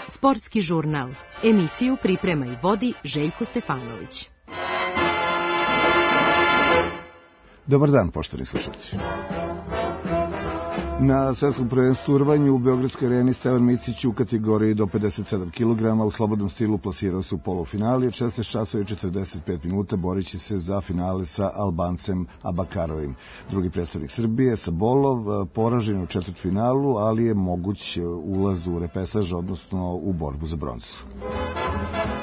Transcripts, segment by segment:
Sportski žurnal. Emisiju priprema i vodi Željko Stefanović. Dobar dan, poštovani slušalci. Na svetskom prvenstvu u rvanju u Beogradskoj areni Stevan Micić u kategoriji do 57 kg u slobodnom stilu plasirao se u polufinali. Od 16 časova i 45 minuta borići se za finale sa Albancem Abakarovim. Drugi predstavnik Srbije, Sabolov, poražen u četvrtfinalu, ali je moguć ulaz u repesaž, odnosno u borbu za bronzu.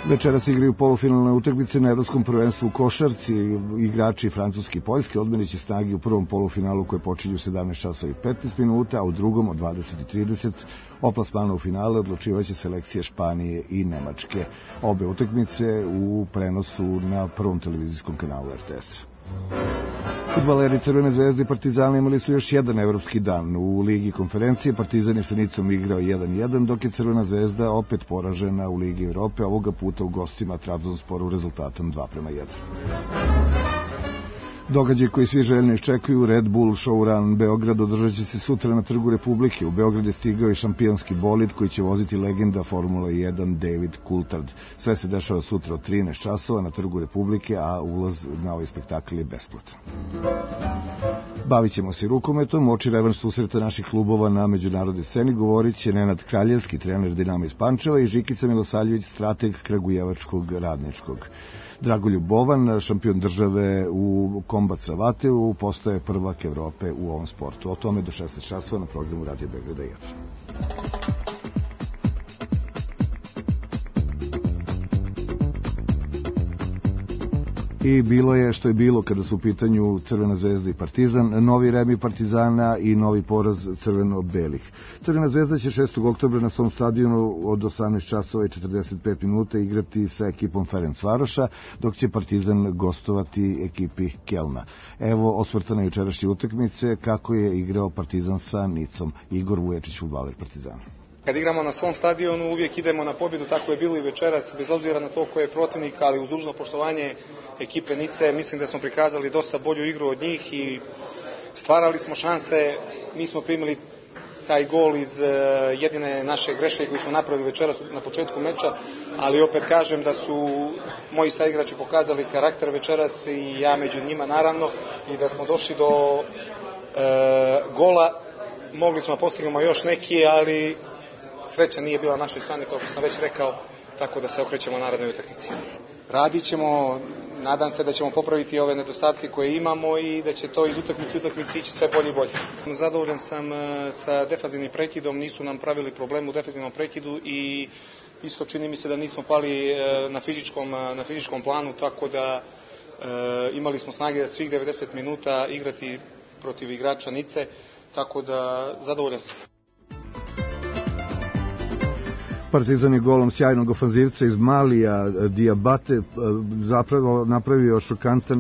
Večeras igraju polufinalne utakmice na Evropskom prvenstvu u košarci. Igrači Francuske i Poljske odmeriće snage u prvom polufinalu koje počinju u 17 časova i 15 minuta, a u drugom od 20:30 o plasmanu u finale odlučivaće selekcije Španije i Nemačke. Obe utakmice u prenosu na prvom televizijskom kanalu RTS. Fudbaleri Crvene zvezde i Partizana imali su još jedan evropski dan. U Ligi konferencije Partizan je sa Nicom igrao 1:1, dok je Crvena zvezda opet poražena u Ligi Evrope, ovoga puta u gostima Trabzonsporu rezultatom 2:1. Događaj koji svi željno iščekuju, Red Bull Showrun Beograd, održat će se sutra na Trgu Republike. U Beograd je stigao i šampionski bolid koji će voziti legenda Formula 1 David Coulthard. Sve se dešava sutra od 13 časova na Trgu Republike, a ulaz na ovaj spektakl je besplatan. Bavit ćemo se rukometom, oči revanš susreta naših klubova na međunarodnoj sceni govorit će Nenad Kraljevski, trener Dinama iz Pančeva, i Žikica Milosavljević, strateg Kragujevačkog Radničkog. Dragoljub Bovan, šampion države u kombat savateu, postaje prvak Evrope u ovom sportu. O tome do 16 časova na programu Radio Beograda 1. I bilo je što je bilo kada su u pitanju Crvena zvezda i Partizan, novi remi Partizana i novi poraz crveno-belih. Crvena zvezda će 6. oktobra na svom stadionu od 18 časova i 45 minuta igrati sa ekipom Ferencvaroša, dok će Partizan gostovati ekipi Kelna. Evo osvrta na jučerašnje utakmice kako je igrao Partizan sa Nicom. Igor Vuječić, fudbaler Partizana. Kad igramo na svom stadionu uvijek idemo na pobjedu, tako je bilo i večeras, bez obzira na to ko je protivnik, ali uz dužno poštovanje ekipe Nice, mislim da smo prikazali dosta bolju igru od njih i stvarali smo šanse. Mi smo primili taj gol iz jedine naše greške koju smo napravili večeras na početku meča, ali opet kažem da su moji saigrači pokazali karakter večeras i ja među njima naravno, i da smo došli do gola. Mogli smo postignemo još neki, ali sreća nije bila na našoj strani, kao što sam već rekao, tako da se okrećemo narednoj utakmici. Radit ćemo, nadam se da ćemo popraviti ove nedostatke koje imamo i da će to iz utakmice ići sve bolje i bolje. Zadovoljan sam sa defanzivnim prekidom, nisu nam pravili problem u defanzivnom prekidu i isto čini mi se da nismo pali na fizičkom planu, tako da imali smo snage svih 90 minuta igrati protiv igrača Nice, tako da zadovoljan sam. Partizan je golom sjajnog ofanzivca iz Malija Diabate zapravo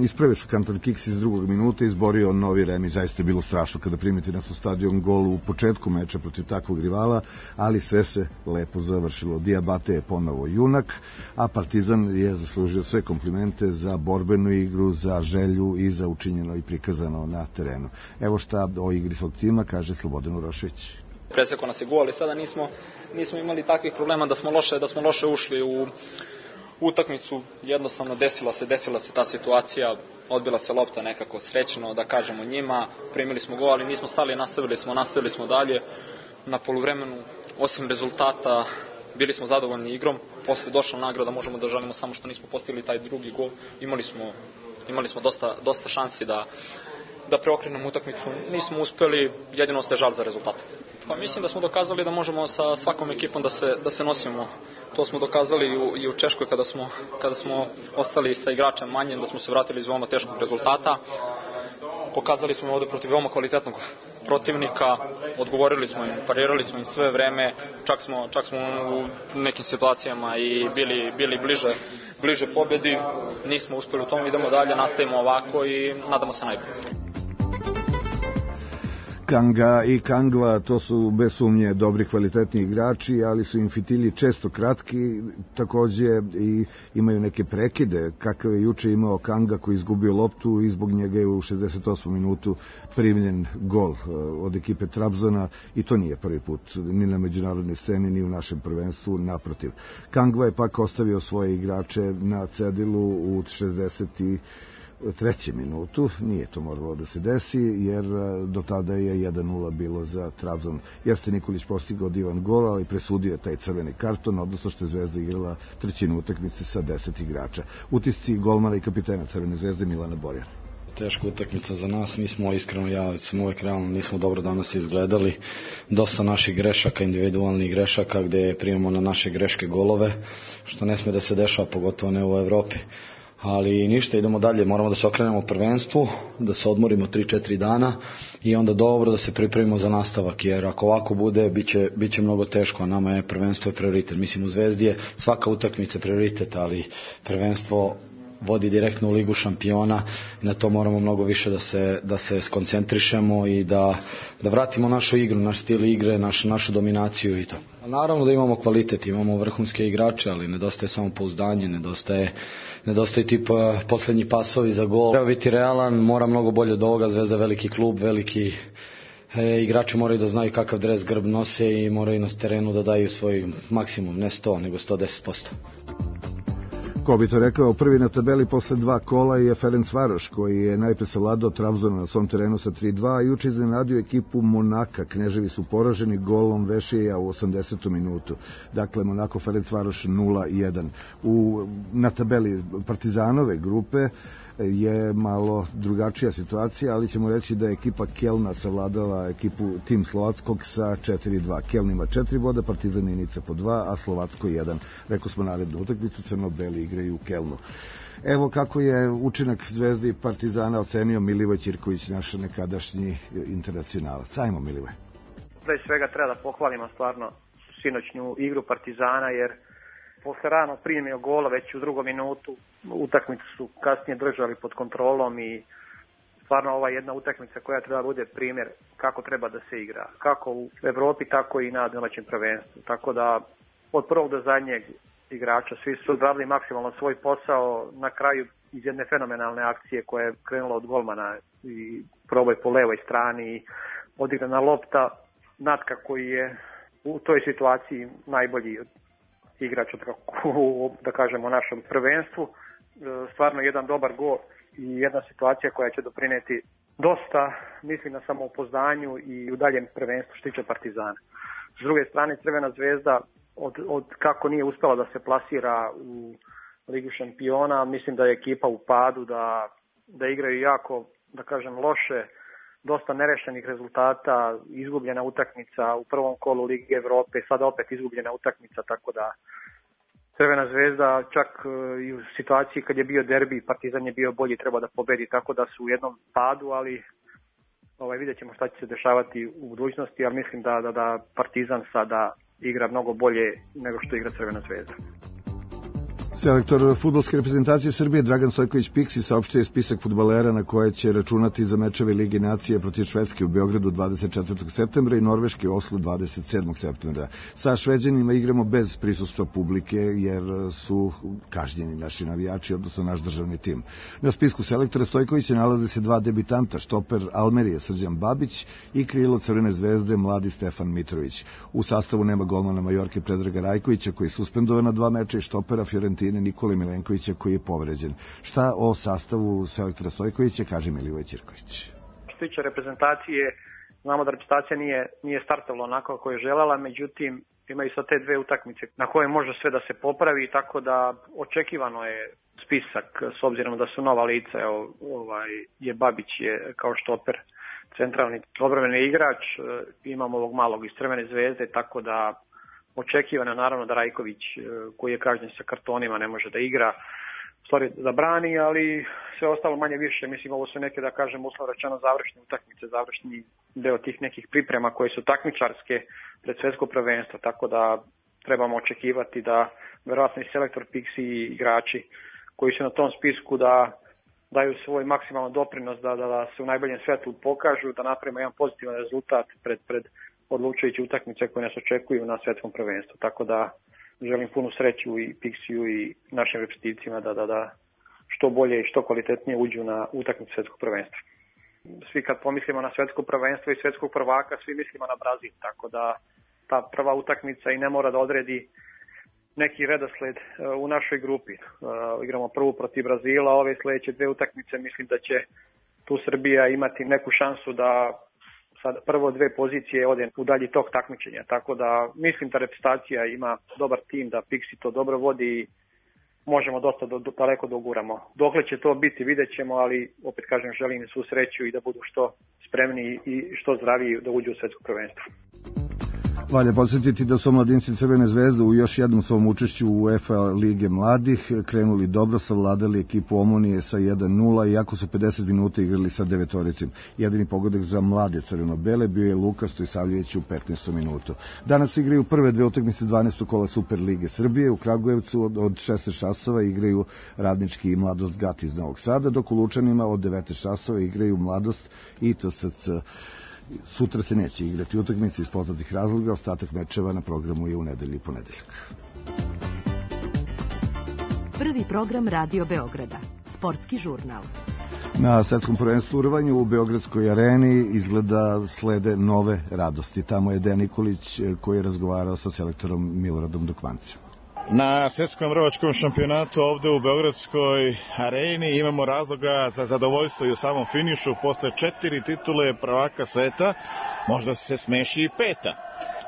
ispravio šokantan kiks iz drugog minuta i izborio novi remi. Zaista je bilo strašno kada primiti na stadion gol u početku meča protiv takvog rivala, ali sve se lepo završilo. Diabate je ponovo junak, a Partizan je zaslužio sve komplimente za borbenu igru, za želju i za učinjeno i prikazano na terenu. Evo šta o igri svog tima kaže Slobodan Urošević. Presekao nas je gol, ali sada nismo imali takvih problema da smo loše ušli u utakmicu. Jednostavno desila se ta situacija, odbila se lopta nekako srećno, da kažemo njima, primili smo gol, ali nismo stali, nastavili smo dalje. Na poluvremenu, osim rezultata, bili smo zadovoljni igrom. Posle došla nagrada, možemo da žalimo samo što nismo postigli taj drugi gol. Imali smo dosta šansi da preokrenemo utakmicu. Nismo uspeli, jedino ostaje žal za rezultatom. Pa mislim da smo dokazali da možemo sa svakom ekipom da se nosimo. To smo dokazali i u Češkoj kada smo ostali sa igračem manje, da smo se vratili iz veoma teškog rezultata. Pokazali smo ovde protiv veoma kvalitetnog protivnika, odgovorili smo im, parirali smo im sve vreme, čak smo u nekim situacijama i bili bliže pobedi. Nismo uspeli u tom, idemo dalje, nastavimo ovako i nadamo se najbolje. Kanga i Kangva, to su bez sumnje dobri kvalitetni igrači, ali su im fitilji često kratki, takođe i imaju neke prekide, kakav je juče imao Kanga koji izgubio loptu i zbog njega je u 68. minutu primljen gol od ekipe Trabzona i to nije prvi put ni na međunarodnoj sceni ni u našem prvenstvu, naprotiv. Kangva je pak ostavio svoje igrače na cedilu u 63. minutu, nije to moralo da se desi, jer do tada je 1:0 bilo za Trabzon. Jeste Nikolić postigao divan gol, ali presudio je taj crveni karton, odnosno što je Zvezda igrala trećinu utakmice sa 10 igrača. Utisci golmana i kapitena Crvene Zvezde Milana Borjana. Teška utakmica za nas, nismo iskreno, ja sam uvek realno, nismo dobro danas izgledali, dosta naših grešaka, individualnih grešaka gde primamo na naše greške golove, što ne sme da se dešava, pogotovo ne u Evropi. Ali ništa, idemo dalje, moramo da se okrenemo prvenstvu, da se odmorimo 3-4 dana i onda dobro da se pripremimo za nastavak, jer ako ovako bude, bit će mnogo teško, a nama je prvenstvo prioritet. Mislim, u Zvezdi je svaka utakmica prioritet, ali prvenstvo vodi direktno u Ligu šampiona i na to moramo mnogo više da se skoncentrišemo i da vratimo našu igru, naš stil igre, našu dominaciju i to. Naravno da imamo kvalitet, imamo vrhunske igrače, ali nedostaje samopouzdanje, nedostaje tip poslednji pasovi za gol. Treba biti realan, mora mnogo bolje od ovoga, Zvezda je veliki klub, veliki igrači moraju da znaju kakav dres grb nose i moraju na terenu da daju svoj maksimum, ne 100, nego 110%. Ko bi to rekao, prvi na tabeli posle 2 kola je Ferencvaroš, koji je najpre savladao Trabzona na svom terenu sa 3:2, a juče iznenadio ekipu Monaka. Kneževi su poraženi golom Vešija u 80. minutu. Dakle, Monako Ferencvaroš 0:1. Na tabeli Partizanove grupe je malo drugačija situacija, ali ćemo reći da je ekipa Kelna savladala ekipu Tim Slovackog sa 4:2. Keln ima 4 boda, Partizan i Nica po 2, a Slovacko 1. Rekao smo narednu utakmicu, crno-beli igraju u Kelnu. Evo kako je učinak Zvezde i Partizana ocenio Milivoj Ćirković, naš nekadašnji internacionalac. Ajmo, Milivoj. Pre svega treba da pohvalimo stvarno sinoćnju igru Partizana, jer posle rano primio gola već u drugom minutu, utakmicu su kasnije držali pod kontrolom i stvarno ova jedna utakmica koja treba bude primjer kako treba da se igra, kako u Evropi, tako i na domaćem prvenstvu. Tako da od prvog do zadnjeg igrača svi su odradili maksimalno svoj posao, na kraju iz jedne fenomenalne akcije koja je krenula od golmana i probaj po levoj strani, odigrana lopta, Natka koji je u toj situaciji najbolji igrač da kažemo u našem prvenstvu. Stvarno jedan dobar gol i jedna situacija koja će doprineti dosta, mislim, na samoupozdanju i u daljem prvenstvu što tiče Partizana. S druge strane, Crvena Zvezda od kako nije uspela da se plasira u Ligu šampiona, mislim da je ekipa u padu, da igraju jako, da kažem, loše, dosta nerešenih rezultata, izgubljena utakmica u prvom kolu Lige Evrope, sada opet izgubljena utakmica, tako da Crvena Zvezda čak i u situaciji kad je bio derbi, Partizan je bio bolji, treba da pobedi, tako da su u jednom padu, ali vidjet ćemo šta će se dešavati u budućnosti, ali mislim da Partizan sada igra mnogo bolje nego što igra Crvena Zvezda. Selektor fudbalske reprezentacije Srbije Dragan Stojković Piksi saopštio je spisak fudbalera na koje će računati za mečeve Lige nacije protiv Švedske u Beogradu 24. septembra i Norveške u Oslu 27. septembra. Sa Šveđanima igramo bez prisustva publike jer su kažnjeni naši navijači, odnosno naš državni tim. Na spisku selektora Stojkovića nalaze se 2 debitanta, štoper Almerije Srđan Babić i krilo Crvene Zvezde mladi Stefan Mitrović. U sastavu nema golmana Majorke Predraga Rajkovića koji je suspendovan na 2 meča i štopera Fiorentine Nikole Milenkovića koji je povređen. Šta o sastavu selektora Stojkovića kaže Milivoj Ćirković? Što se tiče reprezentacije, znamo da reprezentacija nije startala onako kako je želela, međutim imaju sad te 2 utakmice na koje može sve da se popravi, tako da očekivano je spisak s obzirom da su nova lica. Je Babić je kao štoper centralni odbrambeni igrač, imamo ovog malog iz Crvene Zvezde, tako da očekivano naravno da Rajković koji je kažnjen sa kartonima ne može da igra, stvari da brani, ali sve ostalo manje više, mislim ovo su neke, da kažem, uslovno rečeno završne utakmice, završni deo tih nekih priprema koje su takmičarske pred svetsko prvenstvo, tako da trebamo očekivati da verovatno i selektor Piksi i igrači koji su na tom spisku da daju svoj maksimalan doprinos da se u najboljem svetlu pokažu, da napravimo jedan pozitivan rezultat pred odlučujući utakmice koje nas očekuju na svetskom prvenstvu. Tako da želim punu sreću i Pixiju i našim reprezentativcima da što bolje i što kvalitetnije uđu na utakmicu svetskog prvenstva. Svi kad pomislimo na svetsko prvenstvo i svetskog prvaka, svi mislimo na Brazil, tako da ta prva utakmica i ne mora da odredi neki redosled u našoj grupi. Igramo prvu protiv Brazila, ove sledeće dve utakmice mislim da će tu Srbija imati neku šansu da sad prvo dve pozicije ode u dalji tok takmičenja. Tako da mislim da reprezentacija ima dobar tim, da Pixi to dobro vodi i možemo dosta daleko doguramo. Dokle će to biti, vidjet ćemo, ali opet kažem, želim svu sreću i da budu što spremniji i što zdraviji da uđu u svetsko prvenstvo. Valja podsjetiti da su omladinci Crvene zvezde u još jednom svom učešću u UEFA Lige mladih krenuli dobro, savladali ekipu Omonije sa 1-0, iako su 50 minuta igrali sa devetoricim. Jedini pogodak za mlade crveno-bele bio je Luka Stojsavljević u 15. minutu. Danas igraju prve dve utakmice 12. kola Super Lige Srbije. U Kragujevcu od 16 časova igraju Radnički i Mladost Gat iz Novog Sada, dok u Lučanima od 19 časova igraju Mladost i TSC. Sutra se neće igrati utakmice iz poznatih razloga, ostatak mečeva na programu je u nedelju i ponedeljak. Prvi program Radio Beograda, sportski žurnal. Na svetskom prvenstvu u rvanju u Beogradskoj areni izgleda slede nove radosti. Tamo je Dejan Nikolić koji je razgovarao sa selektorom Miloradom Dokmancem. Na svetskom rvačkom šampionatu ovde u Beogradskoj areni imamo razloga za zadovoljstvo i u samom finišu. Posle 4 titule prvaka sveta možda se smeši i 5.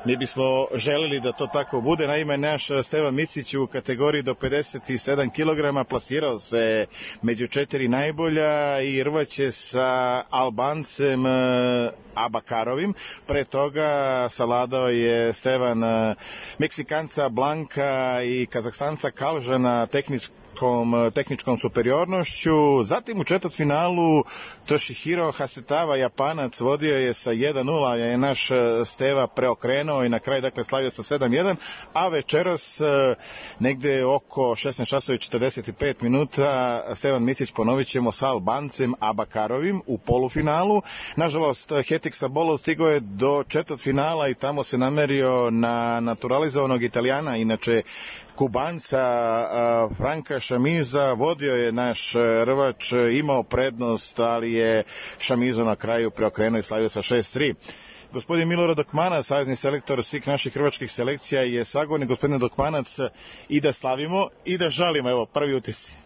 Mi bismo želeli da to tako bude. Naime, naš Stevan Micić u kategoriji do 57 kg plasirao se među 4 najbolja i rvaće sa Albancem Abakarovim. Pre toga savladao je Stevan Meksikanca Blanka i Kazahstanca Kalžana tehničkom superiornošću. Zatim u četvrtfinalu Toshihiro Hasetava, Japanac, vodio je sa 1-0, je naš Steva preokrenuo i na kraju slavio sa 7-1, a večeras negde oko 16:45 minuta Stevan Micić ponovit ćemo sa Albancem Abakarovim u polufinalu. Nažalost, Hetik Sabolov stigao je do četvrtfinala i tamo se namerio na naturalizovanog Italijana, inače Kubanca Franka Šamiza. Vodio je naš rvač, imao prednost, ali je Šamizo na kraju preokrenuo i slavio sa 6-3. Gospodin Milorad Dokmanac, savezni selektor svih naših hrvačkih selekcija, je sagovornik. Gospodine Dokmanac, i da slavimo i da žalimo, evo, prvi utisci.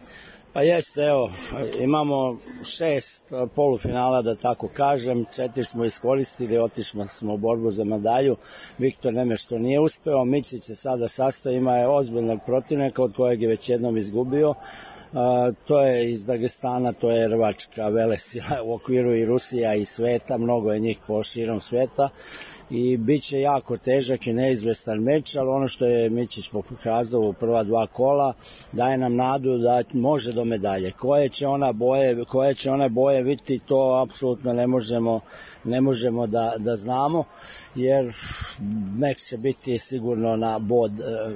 Pa jeste, evo, imamo 6 polufinala, da tako kažem, 4 smo iskoristili, otišli smo u borbu za medalju, Viktor Nemeš to nije uspeo, Micić se sada sastavi, ima je ozbiljnog protivnika od kojeg je već jednom izgubio, to je iz Dagestana, to je rvačka velesila u okviru i Rusija i sveta, mnogo je njih po širom sveta i bit će jako težak i neizvestan meč, ali ono što je Mićić pokazao u prva 2 kola daje nam nadu da može do medalje. Koje će one boje biti, to apsolutno ne možemo da znamo, jer meč će biti sigurno na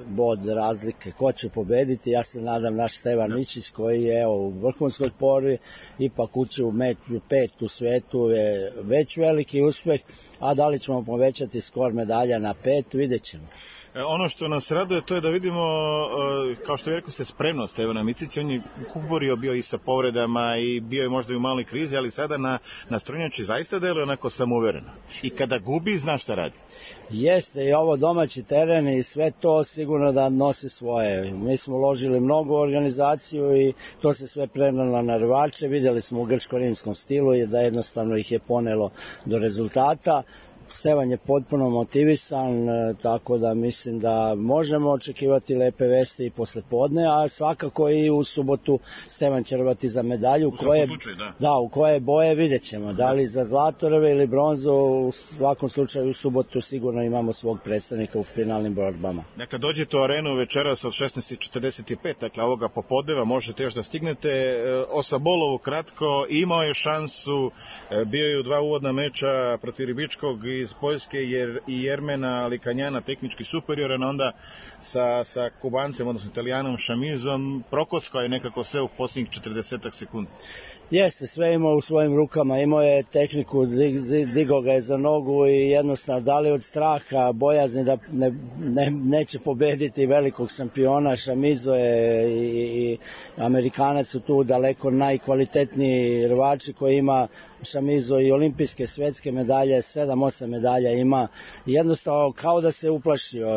bod razlike. Ko će pobediti, ja se nadam naš Stevan Mićić koji je u vrhunskoj formi, ipak ući u meč 5 u svetu je već veliki uspeh, a da li ćemo povećati skor medalja na 5, vidjet ćemo. Ono što nas raduje to je da vidimo, kao što je rekao ste, spremnost Stevana Micića. On je kuborio bio i sa povredama i bio je možda i u maloj krizi, ali sada na strunjači zaista deluje onako samouvereno. I kada gubi, zna šta radi. Jeste, i ovo domaći teren i sve to sigurno da nosi svoje. Mi smo uložili mnogo u organizaciju i to se sve prenalo na rvače. Vidjeli smo u grčko-rimskom stilu da jednostavno ih je ponelo do rezultata. Stevan je potpuno motivisan, tako da mislim da možemo očekivati lepe vesti i posle podne, a svakako i u subotu Stevan će rvati za medalju. U koje boje vidjet ćemo, da li za zlatoreve ili bronzu, u svakom slučaju u subotu sigurno imamo svog predstavnika u finalnim borbama. Dakle, dođete u arenu večeras od 16:45, dakle ovoga popodneva možete još da stignete. O Sabolovu kratko, imao je šansu, bio je u 2 uvodna meča protiv Ribičkog i iz Poljske i Jermena Likanjana tehnički superioran, onda sa Kubancem, odnosno Italijanom Šamizom, prokockao je nekako sve u posljednjih 40 sekundi. Jeste, sve imao u svojim rukama, imao je tehniku, digao ga je za nogu i jednostavno, da li od straha, bojazni da neće pobediti velikog šampiona. Šamizo je i Amerikanac su tu daleko najkvalitetniji rvači koji ima Šamizo i olimpijske, svetske medalje, 7-8 medalja ima. Jednostavno kao da se uplašio.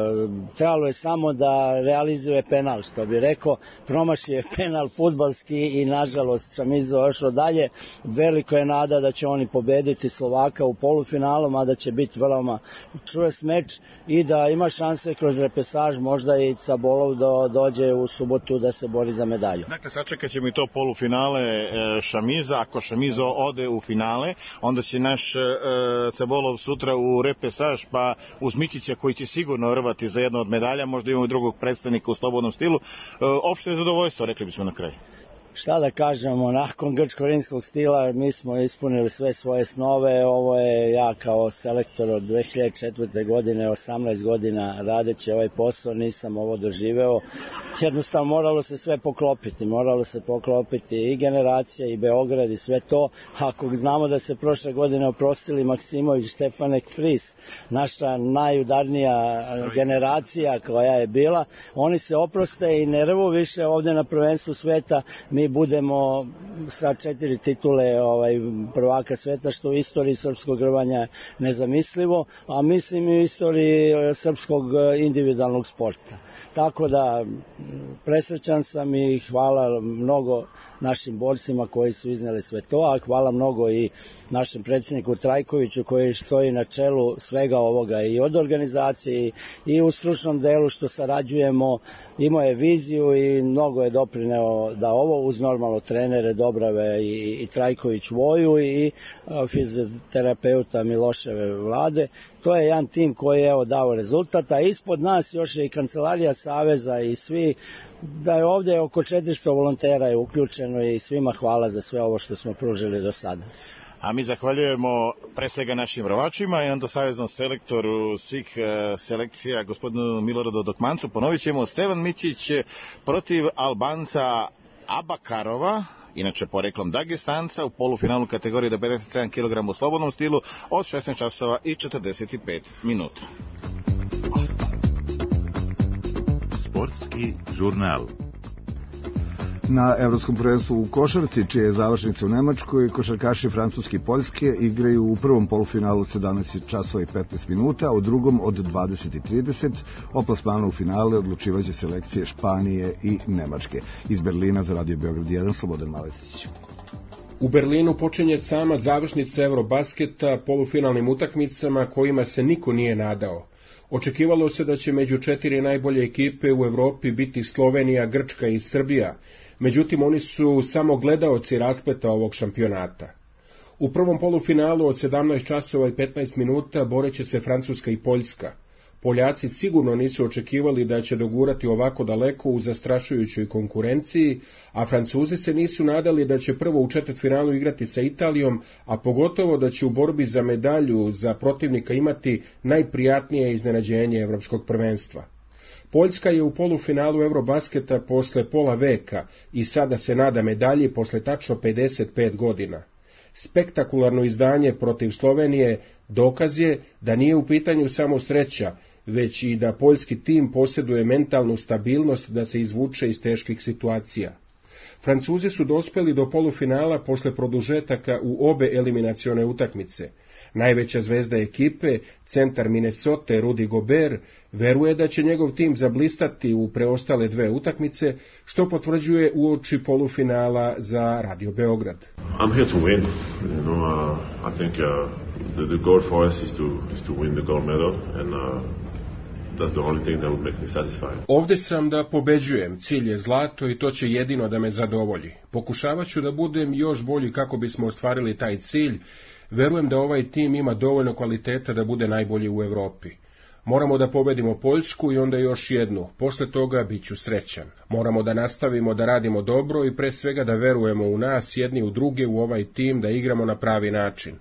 Trebalo je samo da realizuje penal, što bi rekao. Promašio je penal fudbalski i nažalost Šamizo ošao dalje. Veliko je nada da će oni pobediti Slovaka u polufinalu, mada će biti veoma čvrst meč i da ima šanse kroz repesaž možda i Cabolov dođe u subotu da se bori za medalju. Dakle, sačekat ćemo i to polufinale Šamiza. Ako Šamizo ode u finale, onda će naš Cabolov sutra u repesaž, pa uz Mićića koji će sigurno rvati za jedno od medalja, možda imamo i drugog predstavnika u slobodnom stilu. Opšte je zadovoljstvo, rekli bismo na kraju. Šta da kažemo, nakon grčko-rimskog stila mi smo ispunili sve svoje snove. Ovo je ja kao selektor od 2004. godine, 18 godina radeći ovaj posao, nisam ovo doživeo. Jednostavno moralo se sve poklopiti i generacija i Beograd i sve to. Ako znamo da se prošle godine oprostili Maksimović, Štefanek, Fris, naša najudarnija generacija koja je bila, oni se oproste i ne rvu više ovde na prvenstvu sveta. Mi budemo sa 4 titule prvaka sveta, što u istoriji srpskog rvanja nezamislivo, a mislim i u istoriji srpskog individualnog sporta. Tako da presrećan sam i hvala mnogo našim borcima koji su izneli sve to, a hvala mnogo i našem predsjedniku Trajkoviću koji stoji na čelu svega ovoga i od organizacije i u stručnom delu što sarađujemo. Imao je viziju i mnogo je doprineo da ovo uz normalno trenere Dobrave i Trajković Voju i fizioterapeuta Miloševe Vlade. To je jedan tim koji je dao rezultat, a ispod nas još je i Kancelarija Saveza i svi, da je ovdje oko 400 volontera je uključeno i svima hvala za sve ovo što smo pružili do sada. A mi zahvaljujemo pre svega našim rvačima i onda saveznom selektoru svih selekcija, gospodinu Miloradu Dokmancu. Ponovit ćemo Stevan Mićić protiv Albanca Abakarova, inače poreklom Dagestanca, u polufinalu kategorije do 57 kg u slobodnom stilu od 16 časova i 45 minuta. Sportski žurnal. Na Evropskom prvenstvu u košarci, čije je završnica u Nemačkoj, košarkaši Francuske i Poljske igraju u prvom polufinalu 17 časova i 15 minuta, a u drugom od 20:30. O plasmanu u finale odlučivaće selekcije Španije i Nemačke. Iz Berlina za Radio Beograd 1, Slobodan Maletić. U Berlinu počinje sama završnica Eurobasketa polufinalnim utakmicama kojima se niko nije nadao. Očekivalo se da će među 4 najbolje ekipe u Evropi biti Slovenija, Grčka i Srbija, međutim oni su samo gledaoci raspleta ovog šampionata. U prvom polufinalu od 17 časova i 15 minuta boreće se Francuska i Poljska. Poljaci sigurno nisu očekivali da će dogurati ovako daleko u zastrašujućoj konkurenciji, a Francuzi se nisu nadali da će prvo u četvrtfinalu igrati sa Italijom, a pogotovo da će u borbi za medalju za protivnika imati najprijatnije iznenađenje evropskog prvenstva. Poljska je u polufinalu Eurobasketa posle pola veka i sada se nada medalji posle tačno 55 godina. Spektakularno izdanje protiv Slovenije dokaz je da nije u pitanju samo sreća, već i da poljski tim posjeduje mentalnu stabilnost da se izvuče iz teških situacija. Francuzi su dospeli do polufinala posle produžetaka u obe eliminacione utakmice. Najveća zvezda ekipe, centar Minnesota Rudy Gobert, veruje da će njegov tim zablistati u preostale 2 utakmice, što potvrđuje uoči polufinala za Radio Beograd. I'm here to win. I think the goal for us is to win the gold medal and that's the only thing that would make me satisfied. Ovde sam da pobeđujem, cilj je zlato i to će jedino da me zadovolji. Pokušavat ću da budem još bolji kako bismo ostvarili taj cilj. Verujem da ovaj tim ima dovoljno kvaliteta da bude najbolji u Evropi. Moramo da pobedimo Poljsku i onda još jednu. Posle toga bit ću srećan. Moramo da nastavimo da radimo dobro i pre svega da verujemo u nas, jedni u druge, u ovaj tim, da igramo na pravi način.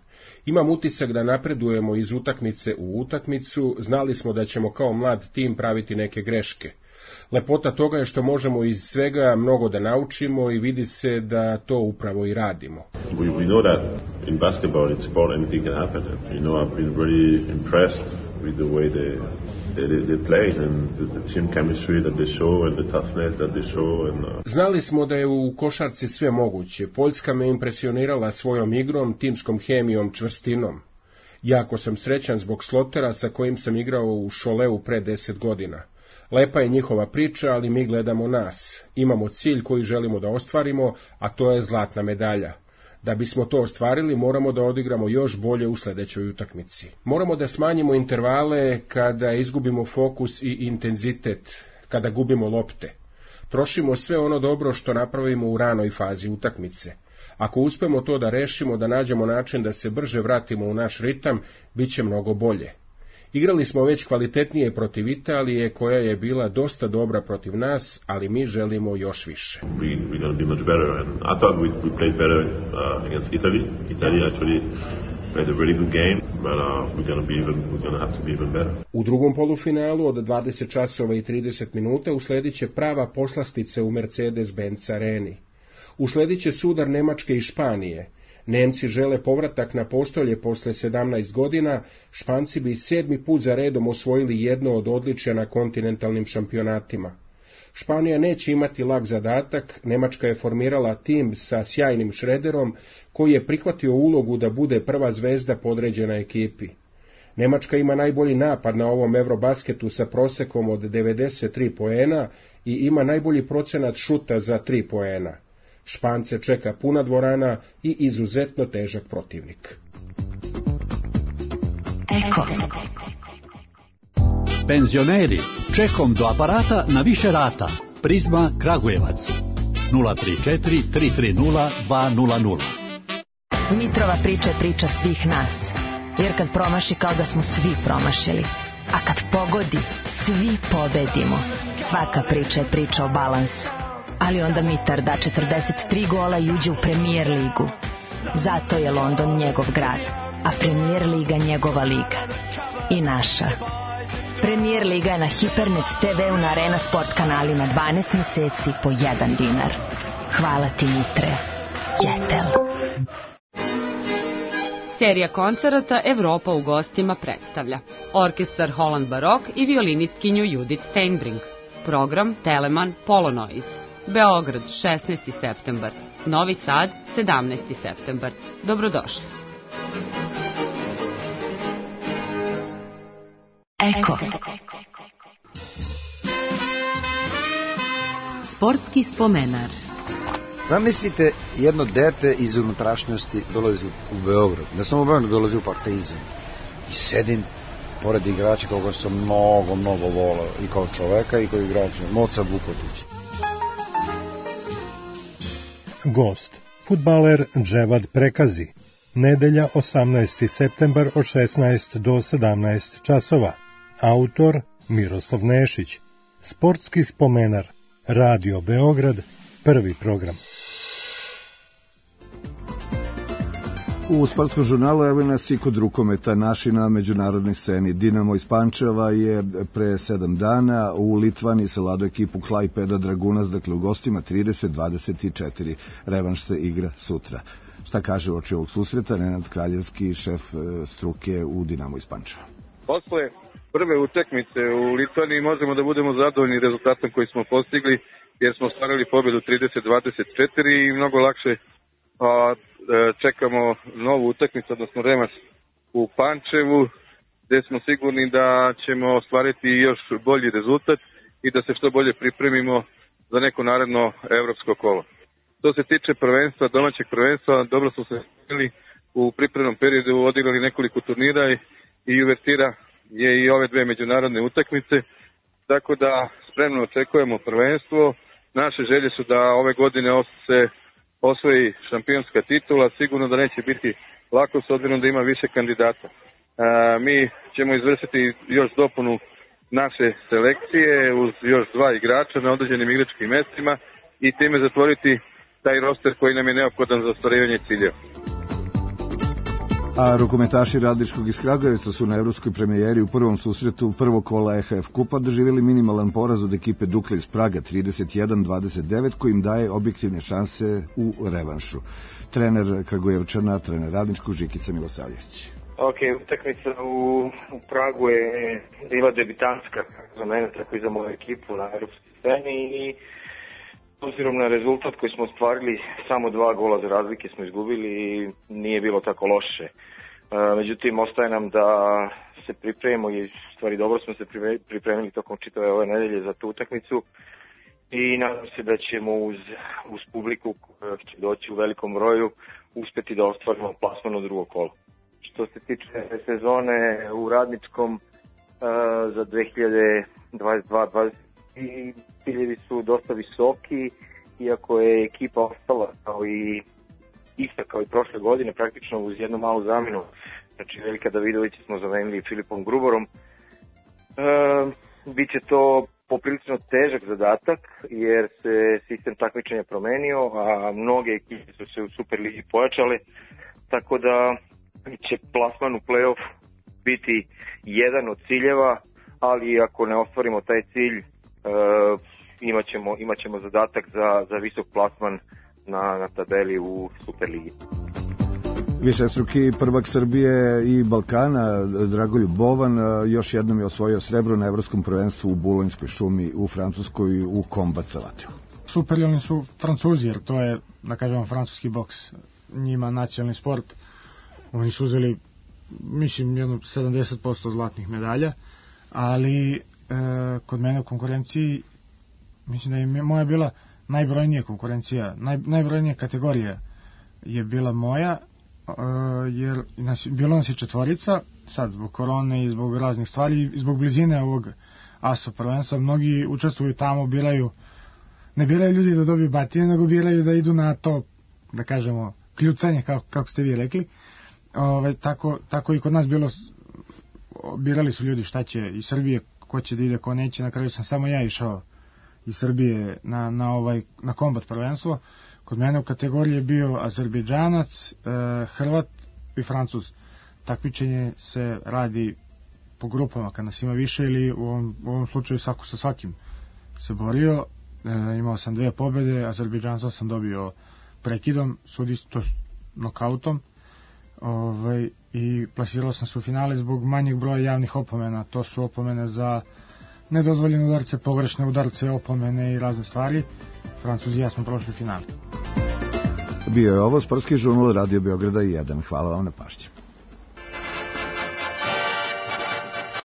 Imam utisak da napredujemo iz utakmice u utakmicu, znali smo da ćemo kao mlad tim praviti neke greške. Lepota toga je što možemo iz svega mnogo da naučimo i vidi se da to upravo i radimo. We know that in basketball, in sport, anything can happen. I've been really impressed with the way they played and the team chemistry that they show and the toughness that they show. Znali smo da je u košarci sve moguće. Poljska me impresionirala svojom igrom, timskom hemijom, čvrstinom. Jako sam srećan zbog Slotera sa kojim sam igrao u Šoleu pre 10 godina. Lepa je njihova priča, ali mi gledamo nas. Imamo cilj koji želimo da ostvarimo, a to je zlatna medalja. Da bismo to ostvarili, moramo da odigramo još bolje u sledećoj utakmici. Moramo da smanjimo intervale kada izgubimo fokus i intenzitet, kada gubimo lopte. Trošimo sve ono dobro što napravimo u ranoj fazi utakmice. Ako uspemo to da rešimo, da nađemo način da se brže vratimo u naš ritam, bit će mnogo bolje. Igrali smo već kvalitetnije protiv Italije, koja je bila dosta dobra protiv nas, ali mi želimo još više. We're going to be much better, and I thought we played better against Italy. Italy actually played a really good game, but we're going to have to be even better. U drugom polufinalu od 20 časova i 30 minuta uslediće prava poslastica u Mercedes-Benz areni. Uslediće sudar Nemačke i Španije. Nemci žele povratak na postolje posle 17 godina, Španci bi 7. put za redom osvojili jedno od odličja na kontinentalnim šampionatima. Španija neće imati lak zadatak, Nemačka je formirala tim sa sjajnim Šrederom, koji je prihvatio ulogu da bude prva zvezda podređena ekipi. Nemačka ima najbolji napad na ovom Eurobasketu sa prosekom od 93 poena i ima najbolji procenat šuta za 3 poena. Špance čeka puna dvorana i izuzetno težak protivnik. Eko. Penzioneri, čekom do aparata na više rata. Prizma Kragujevac. 034 330 200. Mitrova priča je priča svih nas. Jer kad promaši kao da smo svi promašili. A kad pogodi, svi pobedimo. Svaka priča je priča o balansu. Ali onda Mitar da 43 gola i uđe u Premier ligu. Zato je London njegov grad, a Premier liga njegova liga. I naša. Premier liga je na Hipernet TV-u na Arena Sport kanalima 12 meseci po 1 dinar. Hvala ti, Mitre. Jetel. Serija koncerata Evropa u gostima predstavlja orkestar Holland Barok i violinistkinju Judith Steinbrink. Program Telemann Polonoise. Beograd 16. septembar, Novi Sad 17. septembar. Dobrodošli. Eko. Sportski spomenar. Zamislite, jedno dete iz unutrašnjosti dolazi u Beograd, ne samo u Beograd, dolazi u Partizan i sedim pored igrača koga sam mnogo volao i kao čoveka i kao igrača, Moca Vukotić. Gost, fudbaler Dževad Prekazi, nedelja 18. septembar od 16 do 17 časova. Autor Miroslav Nešić. Sportski spomenar, Radio Beograd, prvi program. U sportskom žurnalu evo nas i kod rukometa naši na međunarodnoj sceni. Dinamo iz Pančeva je pre 7 dana u Litvani savladao ekipu Klaipeda Dragunas, dakle u gostima 30-24. Revanš se igra sutra. Šta kaže uoči ovog susreta Nenad Kraljevski, šef struke u Dinamo iz Pančeva? Posle prve utakmice u Litvani možemo da budemo zadovoljni rezultatom koji smo postigli, jer smo ostvarili pobedu 30-24 i mnogo lakše čekamo novu utakmicu, odnosno revanš u Pančevu, gde smo sigurni da ćemo ostvariti još bolji rezultat i da se što bolje pripremimo za neko naredno evropsko kolo. Što se tiče prvenstva, domaćeg prvenstva, dobro smo se spremili u pripremnom periodu, odigrali nekoliko turnira i uvertira je i ove dve međunarodne utakmice, tako da spremno očekujemo prvenstvo. Naše želje su da ove godine se osvoji šampionska titula, sigurno da neće biti lako s obzirom da ima više kandidata. Mi ćemo izvršiti još dopunu naše selekcije uz još 2 igrača na određenim igračkim mestima i time zatvoriti taj roster koji nam je neophodan za ostvarivanje ciljeva. A rukometaši Radničkog iz Kragujevca su na evropskoj premijeri u prvom susretu prvog kola EHF kupa doživjeli minimalan poraz od ekipe Dukle iz Praga 31-29 koji im daje objektivne šanse u revanšu. Trener Kragujevčana, trener Radničkog Žikica Milosavljević. Utakmica u Pragu je bila debitanska za mene, tako i za moju ekipu na evropskoj sceni i obzirom na rezultat koji smo ostvarili, samo 2 gola za razlike smo izgubili i nije bilo tako loše. Međutim, ostaje nam da se pripremimo i stvari dobro smo se pripremili tokom čitave ove nedelje za tu utakmicu i nadam se da ćemo uz publiku koja će doći u velikom broju uspeti da ostvarimo plasman u drugo kolo. Što se tiče sezone u Radničkom za 2022-2023, i ciljevi su dosta visoki, iako je ekipa ostala kao i ista kao i prošle godine, praktično uz jednu malu zamenu. Znači Veljka Davidovića smo zamenili Filipom Gruborom. Biće to poprilično težak zadatak jer se sistem takmičenja promenio, a mnoge ekipe su se u Superligi pojačale, tako da će plasman u play-off biti jedan od ciljeva, ali ako ne ostvarimo taj cilj, imaćemo zadatak za visok plasman na tabeli u Superligi. Višestruki prvak Srbije i Balkana Dragoljub Bovan još jednom je osvojio srebro na evropskom prvenstvu u Bulonjskoj šumi u Francuskoj u kombat salatiju. Superiorni su Francuzi, jer to je, da kažemo, francuski boks, njima nacionalni sport. Oni su uzeli, mislim, jedno 70% zlatnih medalja, ali kod mene u konkurenciji, mislim da je moja bila najbrojnija konkurencija, najbrojnija kategorija je bila moja, jer bilo nas je 4, sad zbog korone i zbog raznih stvari i zbog blizine ovog ASO prvenstva, mnogi učestvuju tamo, ne biraju ljudi da dobiju batine, nego biraju da idu na to, da kažemo, kljucanje, kako ste vi rekli. Tako i kod nas bilo, birali su ljudi šta će iz Srbije, ko će da ide, ko neće. Na kraju sam samo ja išao iz Srbije na kombat prvenstvo. Kod mene u kategoriji je bio Azerbejdžanac, Hrvat i Francuz. Takmičenje se radi po grupama, kad nas ima više, ili u ovom slučaju svako sa svakim se borio. Imao sam 2 pobjede, Azerbejdžanca sam dobio prekidom, to nokautom, i plasirao sam se u finale zbog manjeg broja javnih opomena. To su opomene za nedozvoljene udarce, pogrešne udarce, opomene i razne stvari. Francuzi i ja smo prošli finale. Bio je ovo sportski žurnal Radio Beograda 1. Hvala vam na pažnji.